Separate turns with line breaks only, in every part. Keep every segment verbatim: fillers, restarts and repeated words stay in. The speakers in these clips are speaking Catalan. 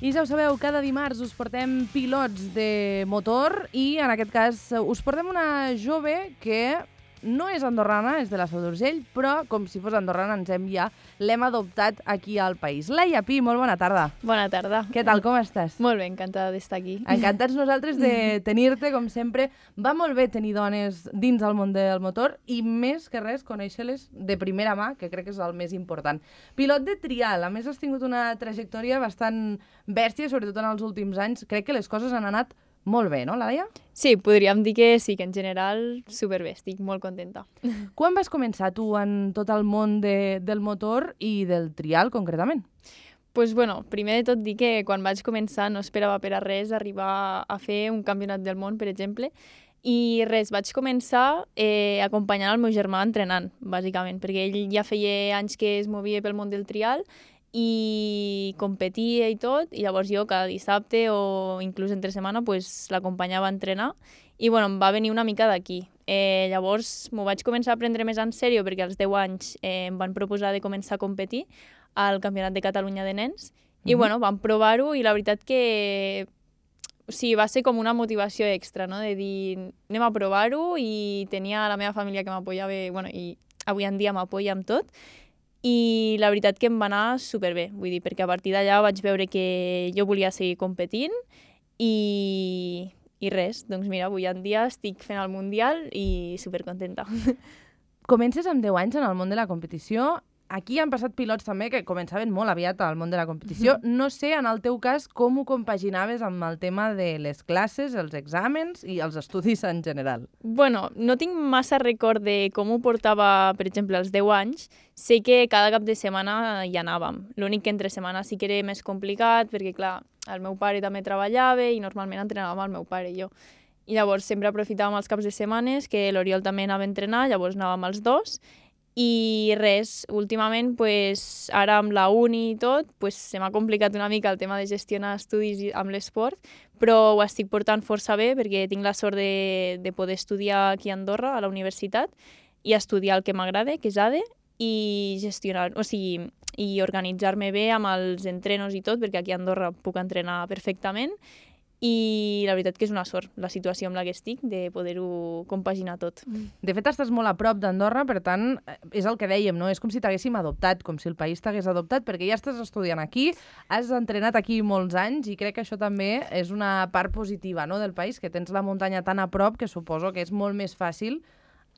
I ja ho sabeu, cada dimarts us portem pilots de motor i en aquest cas us portem una jove que no és andorrana, és de la Seu d'Urgell, però com si fos andorrana ens hem ja l'hem adoptat aquí al país. Laia Pi, molt bona tarda.
Bona tarda.
Què tal, com estàs?
Molt bé, encantada d'estar aquí.
Encantats nosaltres de tenir-te, com sempre. Va molt bé tenir dones dins el món del motor i més que res conèixer-les de primera mà, que crec que és el més important. Pilot de trial, a més has tingut una trajectòria bastant bèstia, sobretot en els últims anys. Crec que les coses han anat molt bé, no, Laia?
Sí, podríem dir que sí, que en general superbé, estic molt contenta.
Quan vas començar tu en tot el món de, del motor i del trial, concretament?
Pues bueno, primer de tot dir que quan vaig començar no esperava per a res arribar a fer un campionat del món, per exemple, i res, vaig començar eh, acompanyant el meu germà entrenant, bàsicament, perquè ell ja feia anys que es movia pel món del trial i competia i tot, i llavors jo cada dissabte o inclús entre setmana pues, l'acompanyava a entrenar i bueno, em va venir una mica d'aquí. Eh, llavors m'ho vaig començar a prendre més en sèrio perquè als deu anys eh, em van proposar de començar a competir al Campionat de Catalunya de Nens i mm-hmm. bueno, vam provar-ho i la veritat que o sigui, va ser com una motivació extra, no? De dir anem a provar-ho i tenia la meva família que m'apoyava bueno, i avui en dia m'apoya amb tot. I la veritat que em va anar superbé, vull dir, perquè a partir d'allà vaig veure que jo volia seguir competint i, i res, doncs mira, avui en dia estic fent el Mundial i supercontenta.
Comences amb deu anys en el món de la competició. Aquí han passat pilots també que començaven molt aviat al món de la competició. No sé, en el teu cas, com ho compaginaves amb el tema de les classes, els exàmens i els estudis en general?
Bueno, no tinc massa record de com ho portava, per exemple, als deu anys. Sé que cada cap de setmana hi anàvem. L'únic que entre setmana sí que era més complicat, perquè, clar, el meu pare també treballava i normalment entrenàvem el meu pare i jo. I llavors sempre aprofitàvem els caps de setmanes, que l'Oriol també anava a entrenar, llavors anàvem els dos. I res, últimament, pues, ara amb la uni i tot, pues, se m'ha complicat una mica el tema de gestionar estudis amb l'esport, però ho estic portant força bé perquè tinc la sort de, de poder estudiar aquí a Andorra, a la universitat, i estudiar el que m'agrada, que és A D E, i gestionar, o sigui, i organitzar-me bé amb els entrenos i tot, perquè aquí a Andorra puc entrenar perfectament, i la veritat que és una sort la situació amb la que estic de poder-ho compaginar tot.
De fet, estàs molt a prop d'Andorra, per tant, és el que dèiem, no? És com si t'haguéssim adoptat, com si el país t'hagués adoptat, perquè ja estàs estudiant aquí, has entrenat aquí molts anys i crec que això també és una part positiva, no?, del país, que tens la muntanya tan a prop que suposo que és molt més fàcil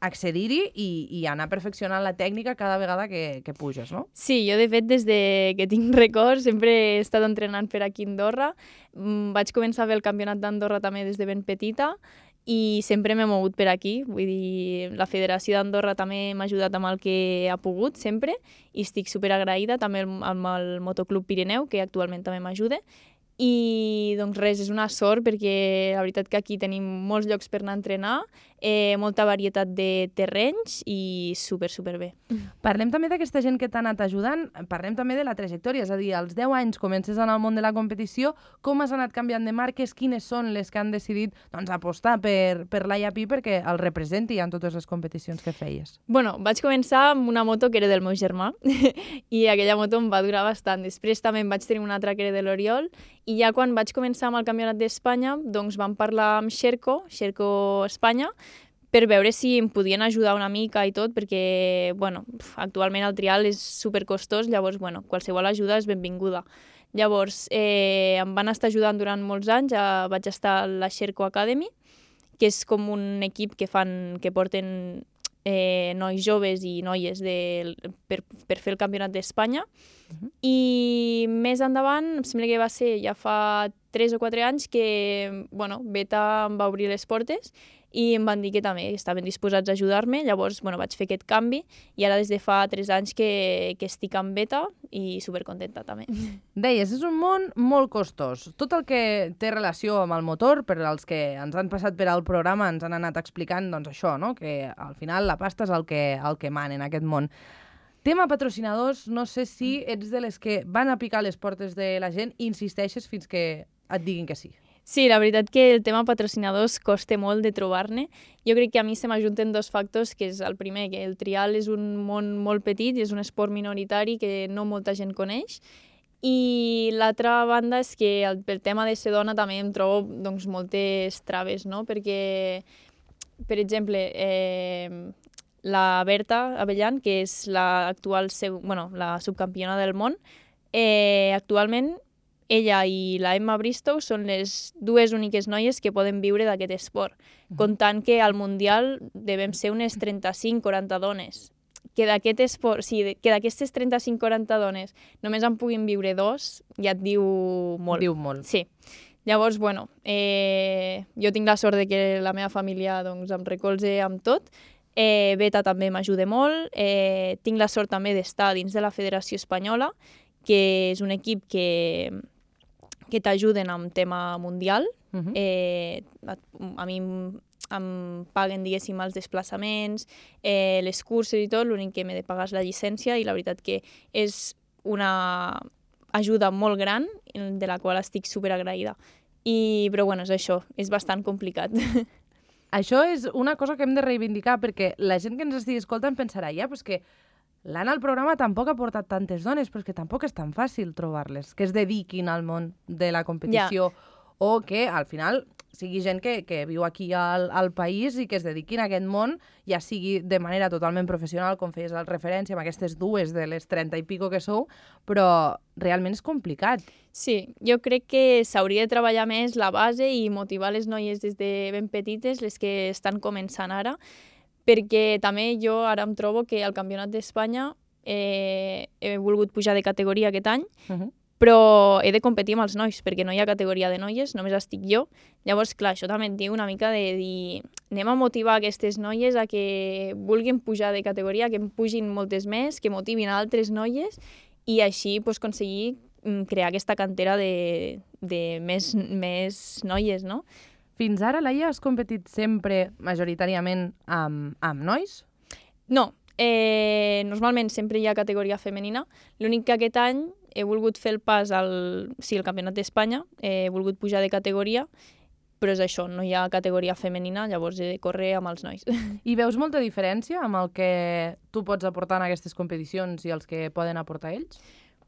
accedir-hi i, i anar perfeccionant la tècnica cada vegada que, que puges, no?
Sí, jo de fet des de que tinc records sempre he estat entrenant per aquí a Andorra. Vaig començar a fer el campionat d'Andorra també des de ben petita i sempre m'he mogut per aquí. Vull dir, la Federació d'Andorra també m'ha ajudat amb el que ha pogut sempre i estic superagraïda també amb el Motoclub Pirineu, que actualment també m'ajuda. I doncs res, és una sort perquè la veritat que aquí tenim molts llocs per anar a entrenar, eh, molta varietat de terrenys i super, super bé.
Parlem també d'aquesta gent que t'ha anat ajudant, parlem també de la trajectòria, és a dir, als deu anys comences en el món de la competició, com has anat canviant de marques, quines són les que han decidit doncs, apostar per, per Laia Pi perquè el representi en totes les competicions que feies?
Bueno, vaig començar amb una moto que era del meu germà i aquella moto em va durar bastant. Després també em vaig tenir una altra que era de l'Oriol i ja quan vaig començar amb el Campionat d'Espanya doncs vam parlar amb Xerco, Xerco Espanya, per veure si em podien ajudar una mica i tot, perquè bueno, actualment el trial és supercostós, llavors bueno, qualsevol ajuda és benvinguda. Llavors eh, em van estar ajudant durant molts anys, eh, vaig estar a la Xerco Academy, que és com un equip que, fan, que porten eh, nois joves i noies de, per, per fer el Campionat d'Espanya. Uh-huh. I més endavant, em sembla que va ser ja fa tres o quatre anys que bueno, Beta em va obrir les portes i em van dir que també estaven disposats a ajudar-me, llavors bueno, vaig fer aquest canvi i ara des de fa tres anys que, que estic amb Beta i supercontenta també.
Deies, és un món molt costós. Tot el que té relació amb el motor, per als que ens han passat per al programa, ens han anat explicant doncs, això, no? Que al final la pasta és el que, el que mana en aquest món. Tema patrocinadors, no sé si ets de les que van a picar les portes de la gent i insisteixes fins que et diguin que sí.
Sí, la veritat que el tema patrocinadors costa molt de trobar-ne. Jo crec que a mi se m'ajunten dos factors, que és el primer, que el trial és un món molt petit i és un esport minoritari que no molta gent coneix, I l'altra banda és que el, pel tema de ser dona també em trobo doncs, moltes traves, no? Perquè, per exemple, eh, la Berta Avellan, que és la, actual, bueno, la subcampiona del món, eh, actualment ella i la Emma Bristow són les dues úniques noies que poden viure d'aquest esport, uh-huh. comptant que al Mundial devem ser unes trenta-cinc quaranta dones. Que d'aquest esport, sí, que d'aquestes trenta-cinc quaranta dones només en puguin viure dos, ja et diu molt.
Diu molt.
Sí. Llavors, bueno, eh, jo tinc la sort de que la meva família doncs, em recolze amb tot. Eh, Beta també m'ajuda molt. Eh, tinc la sort també d'estar dins de la Federació Espanyola, que és un equip que, que t'ajuden amb tema mundial. Uh-huh. eh, a, a mi em paguen, diguéssim, els desplaçaments, eh, les curses i tot, l'únic que m'he de pagar és la llicència i la veritat que és una ajuda molt gran de la qual estic superagraïda. I, però bueno, és això, és bastant complicat.
Això és una cosa que hem de reivindicar perquè la gent que ens estigui escoltant pensarà ja, pues que l'Anna al programa tampoc ha portat tantes dones, però és que tampoc és tan fàcil trobar-les, que es dediquin al món de la competició ja. O que al final sigui gent que, que viu aquí al, al país i que es dediquin a aquest món, ja sigui de manera totalment professional, com feies la referència amb aquestes dues de les trenta i pico que sou, però realment és complicat.
Sí, jo crec que s'hauria de treballar més la base i motivar les noies des de ben petites, les que estan començant ara, perquè també jo ara em trobo que al Campionat d'Espanya eh, he volgut pujar de categoria aquest any, uh-huh. però he de competir amb els nois, perquè no hi ha categoria de noies, només estic jo. Llavors, clar, això també et diu una mica de dir anem a motivar aquestes noies a que vulguin pujar de categoria, que em pugin moltes més, que motivin a altres noies i així pues, aconseguir crear aquesta cantera de, de més, més noies, no?
Fins ara, Laia, has competit sempre majoritàriament amb, amb nois?
No, eh, normalment sempre hi ha categoria femenina. L'únic que aquest any he volgut fer el pas al, sí, al Campionat d'Espanya, he volgut pujar de categoria, però és això, no hi ha categoria femenina, llavors he de córrer amb els nois.
I veus molta diferència amb el que tu pots aportar en aquestes competicions i els que poden aportar ells?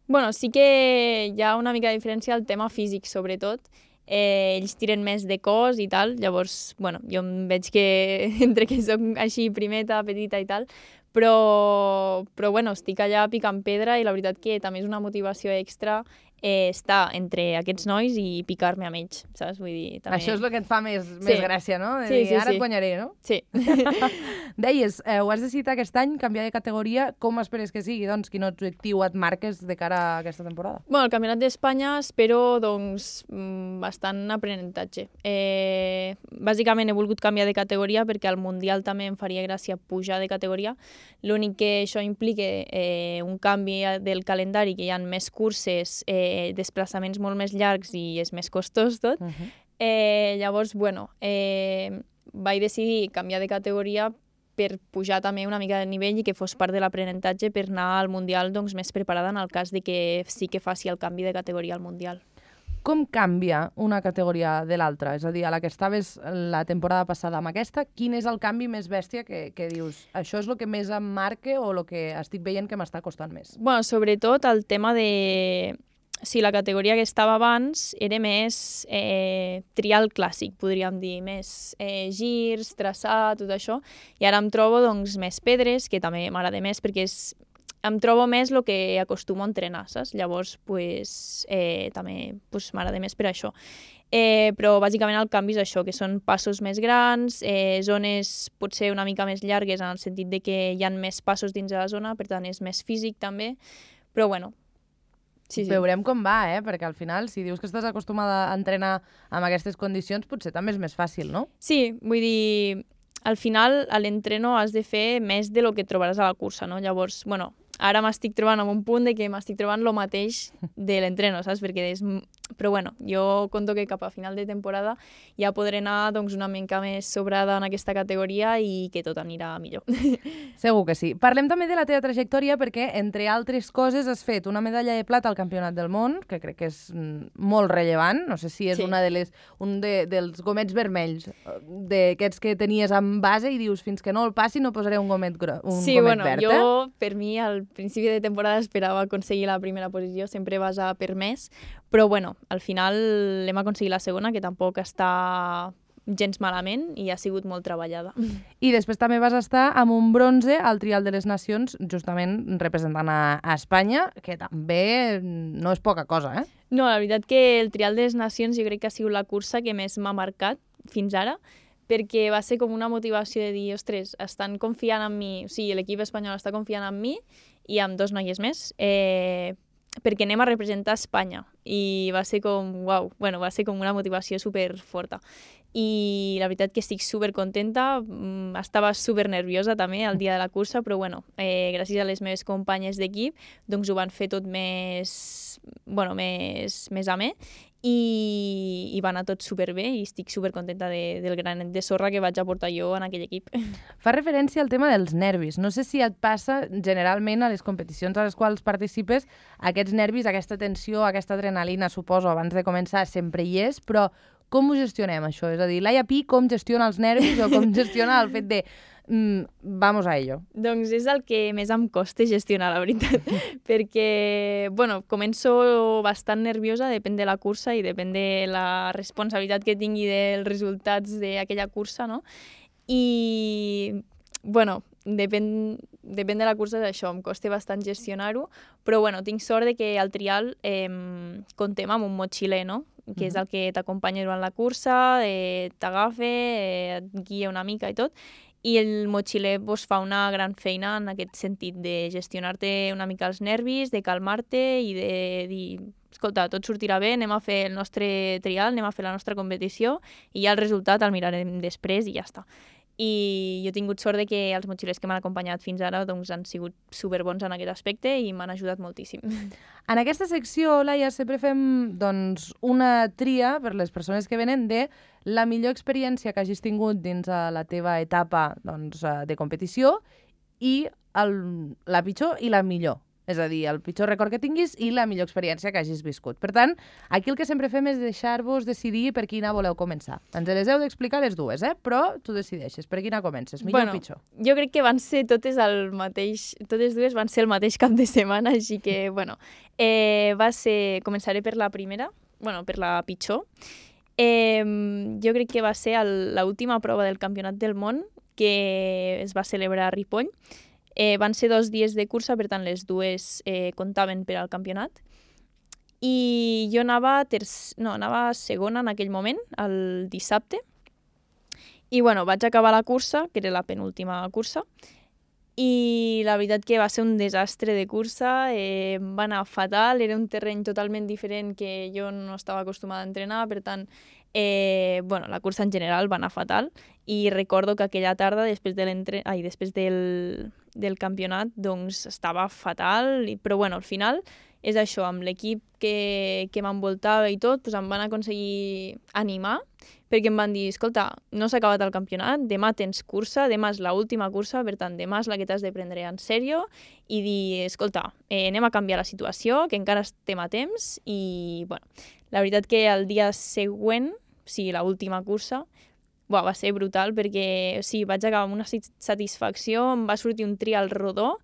Bueno, sí que hi ha una mica de diferència al tema físic, sobretot. Eh, ells tiren més de cos i tal, llavors, bueno, jo em veig que entre que soc així primeta, petita i tal, però, però bueno, estic allà picant pedra i la veritat que també és una motivació extra eh, estar entre aquests nois i picar-me amb ells, saps? Vull dir, també...
Això és el que et fa més,
sí.
més gràcia, no? De
sí,
dir,
sí,
ara
sí.
et guanyaré, no?
Sí.
Deies, eh, ho has decidit aquest any, canviar de categoria. Com esperes que sigui? Doncs, quin objectiu et marques de cara a aquesta temporada?
Bueno, el Campionat d'Espanya espero, doncs, bastant aprenentatge. Eh, bàsicament he volgut canviar de categoria perquè al Mundial també em faria gràcia pujar de categoria. L'únic que això implica eh, un canvi del calendari, que hi ha més curses, eh, desplaçaments molt més llargs i és més costós tot. Uh-huh. eh, llavors, bueno, eh, vaig decidir canviar de categoria per pujar també una mica de nivell i que fos part de l'aprenentatge per anar al Mundial doncs, més preparada en el cas de que sí que faci el canvi de categoria al Mundial.
Com canvia una categoria de l'altra? És a dir, a la que estaves la temporada passada amb aquesta, quin és el canvi més bèstia que, que dius? Això és el que més em marca o el que estic veient que m'està costant més?
Bueno, sobretot el tema de... Si la categoria que estava abans era més eh, trial clàssic, podríem dir, més eh, girs, traçat, tot això, i ara em trobo doncs, més pedres, que també m'agrada més perquè és, em trobo més el que acostumo a entrenar, saps? Llavors, pues, eh, també pues, m'agrada més per això. Eh, però bàsicament el canvi és això, que són passos més grans, eh, zones potser una mica més llargues en el sentit de que hi ha més passos dins de la zona, per tant és més físic també, però bueno, sí, sí.
Veurem com va, eh? Perquè al final, si dius que estàs acostumada a entrenar amb aquestes condicions, potser també és més fàcil, no?
Sí, vull dir, al final a l'entreno has de fer més de lo que trobaràs a la cursa, no? Llavors, bueno, ara m'estic trobant en un punt de que m'estic trobant el mateix de l'entreno, saps? Perquè és, però bueno, jo conto que cap a final de temporada ja podré anar doncs, una mica més sobrada en aquesta categoria i que tot anirà millor.
Segur que sí. Parlem també de la teva trajectòria perquè, entre altres coses, has fet una medalla de plata al Campionat del Món, que crec que és molt rellevant. No sé si és
Sí.
una de les, un de, dels gomets vermells, d'aquests que tenies en base i dius fins que no el passi no posaré un gomet, gro un
sí,
gomet
bueno,
verd.
jo,
eh?
per mi, al principi de temporada esperava aconseguir la primera posició, sempre vas a per més, però bueno, al final hem aconseguit la segona, que tampoc està gens malament i ha sigut molt treballada.
I després també vas estar amb un bronze al Trial de les Nacions, justament representant a, a Espanya, que també no és poca cosa, eh?
No, la veritat que el Trial de les Nacions jo crec que ha sigut la cursa que més m'ha marcat fins ara, perquè va ser com una motivació de dir, ostres, estan confiant en mi, o sigui, l'equip espanyol està confiant en mi i amb dos noies més, eh, perquè anem a representar Espanya. I va ser com, uau, bueno, va ser com una motivació superforta. I la veritat que estic supercontenta, estava super nerviosa també el dia de la cursa, però bueno, eh, gràcies a les meves companyes d'equip, doncs ho van fer tot més, bueno, més, més amè i, i va anar tot superbé i estic supercontenta de, del granet de sorra que vaig aportar jo en aquell equip.
Fa referència al tema dels nervis. No sé si et passa generalment a les competicions a les quals participes, aquests nervis, aquesta tensió, aquesta adrenalina, suposo, abans de començar sempre hi és, però com ho gestionem, això? És a dir, Laia Pi com gestiona els nervis o com gestiona el fet de mm, vamos a ello?
Doncs és el que més em costa gestionar, la veritat, perquè, bueno, començo bastant nerviosa, depèn de la cursa i depèn de la responsabilitat que tingui dels resultats d'aquella cursa, no? I, bueno, depèn, depèn de la cursa d'això, em costa bastant gestionar-ho, però bueno, tinc sort de que al trial eh, contem amb un motxiler, no? Que és el que t'acompanya durant la cursa, eh, t'agafa, eh, et guia una mica i tot, i el motxiler pues, fa una gran feina en aquest sentit de gestionar-te una mica els nervis, de calmar-te i de dir, escolta, tot sortirà bé, anem a fer el nostre trial, anem a fer la nostra competició i ja el resultat el mirarem després i ja està. I jo he tingut sort de que els motxilers que m'han acompanyat fins ara doncs, han sigut superbons en aquest aspecte i m'han ajudat moltíssim.
En aquesta secció, Laia, sempre fem doncs, una tria per les persones que venen de la millor experiència que hagis tingut dins de la teva etapa doncs, de competició i el, la pitjor i la millor. És a dir, el pitjor record que tinguis i la millor experiència que hagis viscut. Per tant, aquí el que sempre fem és deixar-vos decidir per quina voleu començar. Ens les heu d'explicar les dues, eh? Però tu decideixes per quina comences, millor
bueno,
o pitjor.
Jo crec que van ser totes el mateix, totes dues van ser el mateix cap de setmana, així que, bueno, eh, va ser, començaré per la primera, bueno, per la pitjor. Eh, jo crec que va ser l'última prova del Campionat del Món que es va celebrar a Ripoll. Eh, van ser dos dies de cursa, per tant, les dues eh, comptaven per al campionat. I jo anava, terç... no, anava segona en aquell moment, el dissabte. I, bueno, vaig acabar la cursa, que era la penúltima cursa, i la veritat que va ser un desastre de cursa, eh, va anar fatal, era un terreny totalment diferent que jo no estava acostumada a entrenar, per tant, eh, bueno, la cursa en general va anar fatal, i recordo que aquella tarda, després, de Ai, després del, del campionat, doncs estava fatal, però bueno, al final és això, amb l'equip que, que m'envoltava i tot, doncs em van aconseguir animar, perquè em van dir, escolta, no s'ha acabat el campionat, demà tens cursa, demà és l'última cursa, per tant, demà és la que t'has de prendre en sèrio i dir, escolta, eh, anem a canviar la situació, que encara estem a temps, i, bueno, la veritat que el dia següent, o sigui, l'última cursa, buah, va ser brutal, perquè, o sigui, vaig acabar amb una satisfacció, em va sortir un trial rodó,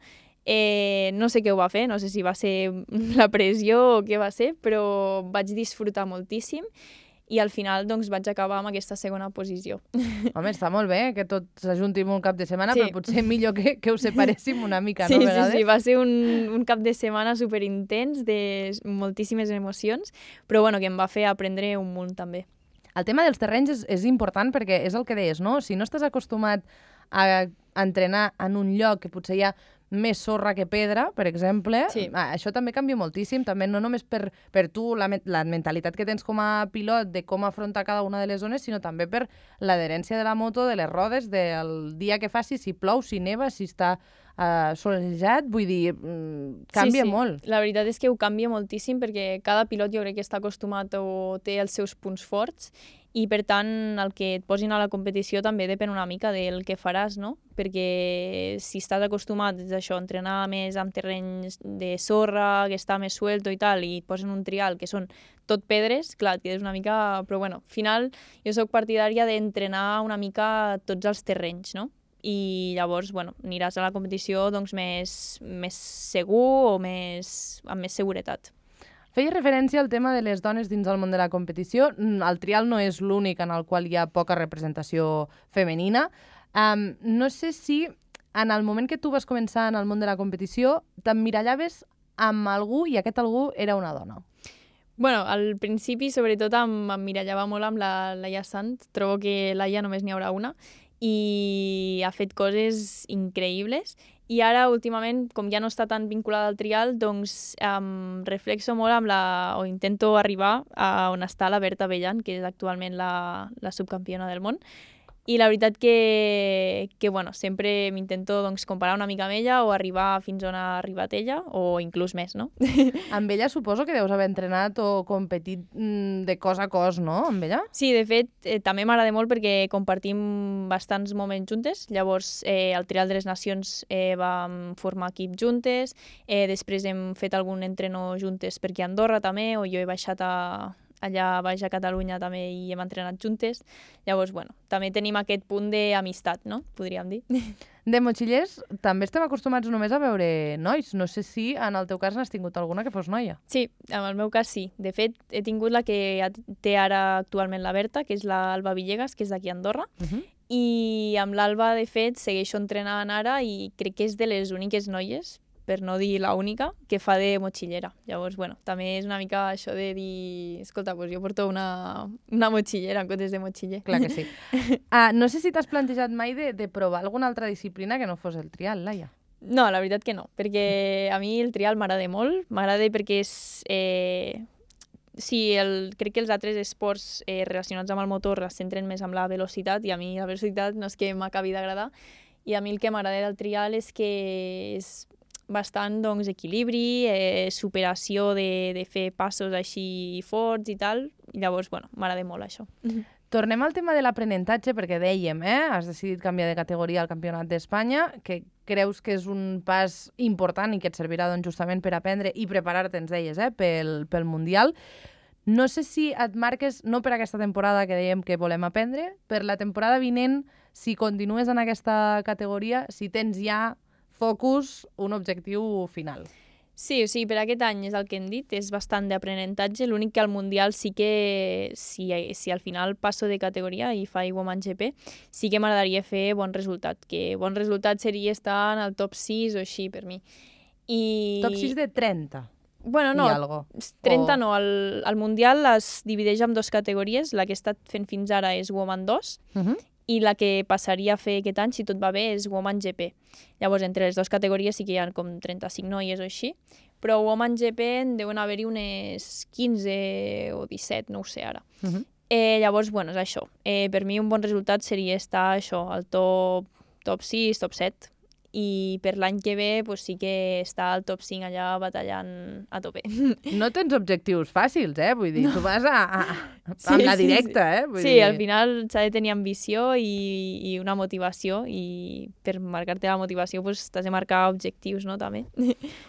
eh, no sé què ho va fer, no sé si va ser la pressió o què va ser, però vaig disfrutar moltíssim, i al final doncs, vaig acabar amb aquesta segona posició.
Home, està molt bé que tot s'ajunti un cap de setmana,
sí.
Però potser millor que, que us separéssim una mica,
sí,
no?
Sí,
vegades?
sí, va ser un, un cap de setmana superintens, de moltíssimes emocions, però bueno, que em va fer aprendre un munt també.
El tema dels terrenys és, és important perquè és el que deies, no? Si no estàs acostumat a entrenar en un lloc que potser hi ha més sorra que pedra, per exemple,
sí.
Això també canvia moltíssim, també no només per, per tu, la, la mentalitat que tens com a pilot de com afrontar cada una de les zones, sinó també per l'adherència de la moto, de les rodes, del dia que faci, si plou, si neva, si està uh, solejat, vull dir, mm, canvia
sí, sí.
molt.
La veritat és que ho canvia moltíssim perquè cada pilot jo crec que està acostumat o té els seus punts forts i per tant el que et posin a la competició també depèn una mica del que faràs, no? Perquè si estàs acostumat a això, a entrenar més amb terrenys de sorra, que està més suelto i tal, i et posen un trial que són tot pedres, clar, et quedes una mica... Però bueno, al final jo sóc partidària d'entrenar una mica tots els terrenys, no? I llavors, bueno, aniràs a la competició doncs, més, més segur o més, amb més seguretat.
Feia referència al tema de les dones dins del món de la competició. El trial no és l'únic en el qual hi ha poca representació femenina. Um, no sé si en el moment que tu vas començar en el món de la competició t'emmirallaves amb algú i aquest algú era una dona.
Bueno, al principi, sobretot, m'emmirallava molt amb la Laia Sant. Trobo que Laia només n'hi haurà una i ha fet coses increïbles. I ara, últimament, com ja no està tan vinculada al trial, doncs em reflexo molt amb la... o intento arribar a on està la Berta Bellan, que és actualment la, la subcampiona del món. I la veritat que, que bueno, sempre m'intento doncs, comparar una mica amb ella o arribar fins on ha arribat ella, o inclús més, no?
Amb ella suposo que deus haver entrenat o competit de cos a cos, no? Amb ella?
Sí, de fet, eh, també m'agrada molt perquè compartim bastants moments juntes. Llavors, eh, al Trial de les Nacions eh, vam formar equip juntes, eh, després hem fet algun entreno juntes per aquí a Andorra també, o jo he baixat a... allà baix a Catalunya també hi hem entrenat juntes. Llavors, bueno, també tenim aquest punt d'amistat, no? Podríem dir.
De motxillers també estem acostumats només a veure nois. No sé si en el teu cas n'has tingut alguna que fos noia.
Sí, en el meu cas sí. De fet, he tingut la que té ara actualment la Berta, que és l'Alba Villegas, que és d'aquí a Andorra. Uh -huh. I amb l'Alba, de fet, segueixo entrenant ara i crec que és de les úniques noies, per no dir la única, que fa de motxillera. Llavors, bueno, també és una mica això de dir... Escolta, doncs jo porto una, una motxillera en comptes de motxiller.
Clar que sí. uh, no sé si t'has plantejat mai de, de provar alguna altra disciplina que no fos el trial, Laia.
No, la veritat que no, perquè a mi el trial m'agrada molt. M'agrada perquè és... Eh... Sí, el, crec que els altres esports eh, relacionats amb el motor es centren més amb la velocitat i a mi la velocitat no és que m'acabi d'agradar. I a mi el que m'agrada del trial és que és bastant doncs, equilibri, eh, superació de, de fer passos així forts i tal. I llavors, bueno, m'agrada molt això.
Tornem al tema de l'aprenentatge, perquè dèiem, eh, has decidit canviar de categoria al Campionat d'Espanya, que creus que és un pas important i que et servirà doncs, justament per aprendre i preparar-te, ens deies, eh, pel, pel Mundial. No sé si et marques, no per aquesta temporada que dèiem que volem aprendre, per la temporada vinent, si continues en aquesta categoria, si tens ja focus, un objectiu final.
Sí, o sigui, per aquest any és el que hem dit, és bastant d'aprenentatge. L'únic que al Mundial sí que, si, si al final passo de categoria i faig Woman G P, sí que m'agradaria fer bon resultat, que bon resultat seria estar en el top sis o així per mi. I...
Top sis de trenta?
Bueno, no, trenta o... no. El, el Mundial es divideix en dues categories. La que he estat fent fins ara és Woman dos, uh-huh. i la que passaria a fer aquest any, si tot va bé, és Woman G P. Llavors, entre les dues categories sí que hi ha com trenta-cinc noies o així, però Woman G P en deuen haver-hi unes quinze o disset, no ho sé ara. Uh-huh. eh, llavors, bueno, és això. Eh, per mi un bon resultat seria estar això, al top, top sis, top set. I per l'any que ve pues, sí que està al top cinc allà batallant a tope.
No tens objectius fàcils, eh? Vull dir, no. Tu vas a, a, a
sí,
amb la
sí,
directa,
sí.
eh? Vull
sí,
dir...
al final s'ha de tenir ambició i, i una motivació i per marcar-te la motivació pues, t'has de marcar objectius, no? També.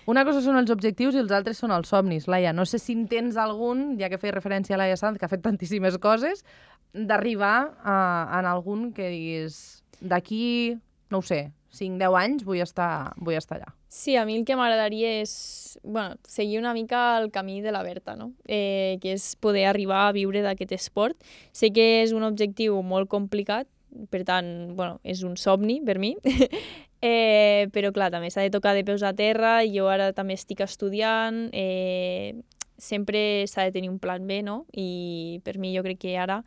Una cosa són els objectius i els altres són els somnis, Laia. No sé si en tens algun, ja que feia referència a Laia Sanz, que ha fet tantíssimes coses, d'arribar a, a algun que diguis d'aquí, no ho sé, cinc deu anys vull estar, vull estar allà.
Sí, a mi el que m'agradaria és bueno, seguir una mica el camí de la Berta, no? eh, que és poder arribar a viure d'aquest esport. Sé que és un objectiu molt complicat, per tant, bueno, és un somni per mi, eh, però clar, també s'ha de tocar de peus a terra, i jo ara també estic estudiant, eh, sempre s'ha de tenir un plan B, no? I per mi jo crec que ara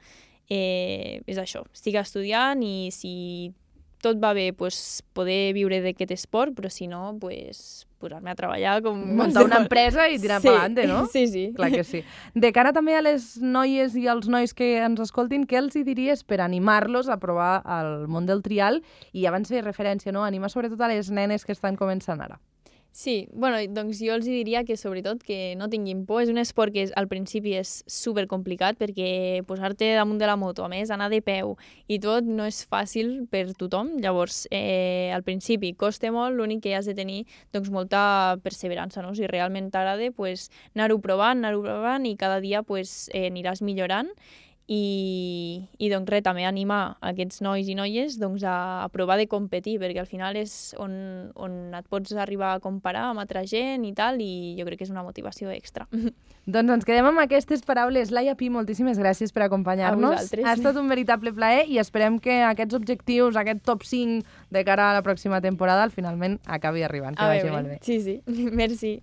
eh, és això, estic estudiant i si tot va bé, pues, poder viure d'aquest esport, però si no, pues, posar-me a treballar com...
Muntar una empresa i tirar
sí,
pa'lante, no?
Sí, sí.
Clar que sí. De cara també a les noies i als nois que ens escoltin, què els hi diries per animar-los a provar el món del trial? I abans feia referència, no? Animar sobretot a les nenes que estan començant ara.
Sí, bueno, doncs jo els diria que sobretot que no tinguin por. És un esport que és, al principi és supercomplicat perquè posar-te damunt de la moto, a més anar de peu i tot no és fàcil per tothom. Llavors, eh, al principi costa molt, l'únic que has de tenir doncs, molta perseverança, no? Si realment t'agrada, pues, anar-ho provant, anar-ho provant i cada dia pues, eh, aniràs millorant. I, i doncs res, també animar aquests nois i noies doncs, a, a provar de competir, perquè al final és on, on et pots arribar a comparar amb altra gent i tal, i jo crec que és una motivació extra.
Doncs ens quedem amb aquestes paraules. Laia Pi, moltíssimes gràcies per acompanyar-nos. Ha estat un veritable plaer i esperem que aquests objectius, aquest top cinc de cara a la pròxima temporada, finalment acabi arribant. Que
a
vagi
veure,
molt bé.
Sí, sí. Merci.